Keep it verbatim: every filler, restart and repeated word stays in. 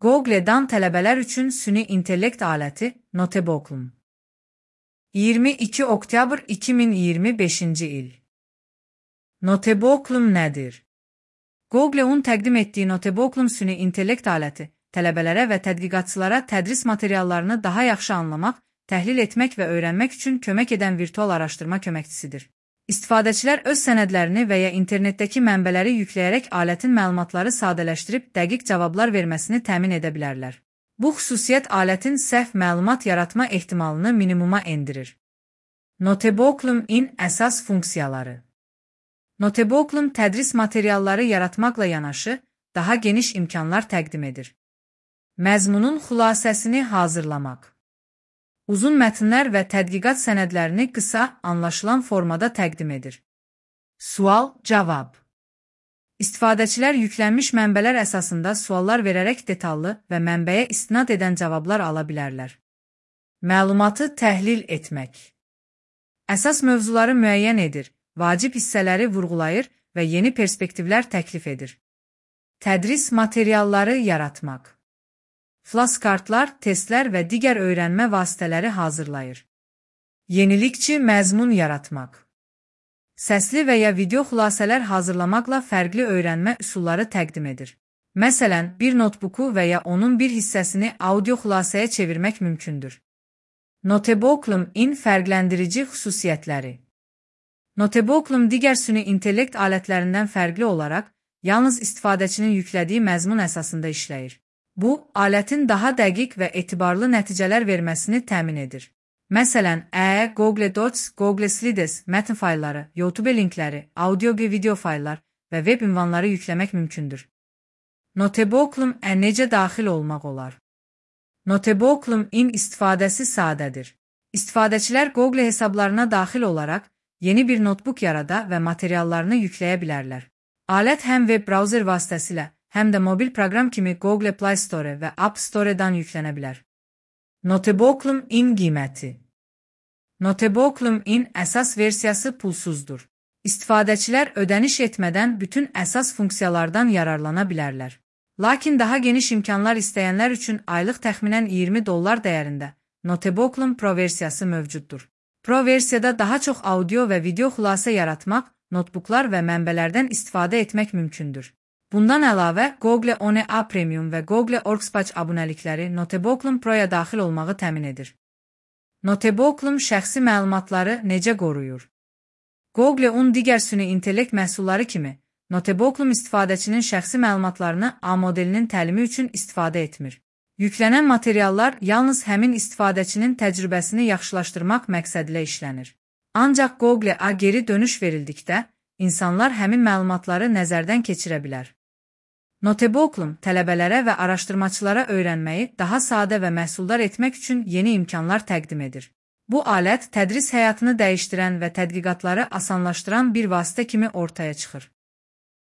Google'dan tələbələr üçün süni intellekt aləti Notebook'um. iyirmi iki oktyabr iki min iyirmi beşinci il. Notebook'um nədir? Google'un təqdim etdiyi Notebook'um süni intellekt aləti tələbələrə və tədqiqatçılara tədris materiallarını daha yaxşı anlamaq, təhlil etmək və öyrənmək üçün kömək edən virtual araşdırma köməkçisidir. İstifadəçilər öz sənədlərini və ya internetdəki mənbələri yükləyərək alətin məlumatları sadələşdirib dəqiq cavablar verməsini təmin edə bilərlər. Bu xüsusiyyət alətin səhv məlumat yaratma ehtimalını minimuma endirir. Notebook'un əsas funksiyaları. Notebook'un tədris materialları yaratmaqla yanaşı, daha geniş imkanlar təqdim edir. Məzmunun xülasəsini hazırlamaq. Uzun mətnlər və tədqiqat sənədlərini qısa, anlaşılan formada təqdim edir. Sual, cavab. İstifadəçilər yüklənmiş mənbələr əsasında suallar verərək detallı və mənbəyə istinad edən cavablar ala bilərlər. Məlumatı təhlil etmək. Əsas mövzuları müəyyən edir, vacib hissələri vurğulayır və yeni perspektivlər təklif edir. Tədris materialları yaratmaq. Flashkartlar, testlər və digər öyrənmə vasitələri hazırlayır. Yenilikçi məzmun yaratmaq. Səsli və ya video xülasələr hazırlamaqla fərqli öyrənmə üsulları təqdim edir. Məsələn, bir notebooku və ya onun bir hissəsini audio xülasəyə çevirmək mümkündür. Notebook'un fərqləndirici xüsusiyyətləri. Notebook'un digər süni intellekt alətlərindən fərqli olaraq, yalnız istifadəçinin yüklədiyi məzmun əsasında işləyir. Bu, alətin daha dəqiq və etibarlı nəticələr verməsini təmin edir. Məsələn, Ə, Google Docs, Google Slides, mətn faylları, YouTube linkləri, audio və video fayllar və web ünvanları yükləmək mümkündür. Notebook'un necə daxil olmaq olar? Notebook'un istifadəsi sadədir. İstifadəçilər Google hesablarına daxil olaraq yeni bir notebook yarada və materiallarını yükləyə bilərlər. Alət həm web browser vasitəsilə, həm də mobil proqram kimi Google Play Store və App Store-dan yüklənə bilər. Notebook'un qiyməti. Notebook'un əsas versiyası pulsuzdur. İstifadəçilər ödəniş etmədən bütün əsas funksiyalardan yararlana bilərlər. Lakin daha geniş imkanlar istəyənlər üçün aylıq təxminən iyirmi dollar dəyərində Notebook'un Pro versiyası mövcuddur. Pro versiyada daha çox audio və video xülasə yaratmaq, notebooklar və mənbələrdən istifadə etmək mümkündür. Bundan əlavə, Google O N A Premium və Google Workspace abunəlikləri Notebook'un Pro'ya daxil olmağı təmin edir. Notebook'un şəxsi məlumatları necə qoruyur? Google'un digər süni intellekt məhsulları kimi, Notebook'un istifadəçinin şəxsi məlumatlarını A modelinin təlimi üçün istifadə etmir. Yüklənən materiallar yalnız həmin istifadəçinin təcrübəsini yaxşılaşdırmaq məqsədilə işlənir. Ancaq Google'a geri dönüş verildikdə, insanlar həmin məlumatları nəzərdən keçirə bilər. Notebook'un tələbələrə və araşdırmaçılara öyrənməyi daha sadə və məhsuldar etmək üçün yeni imkanlar təqdim edir. Bu alət tədris həyatını dəyişdirən və tədqiqatları asanlaşdıran bir vasitə kimi ortaya çıxır.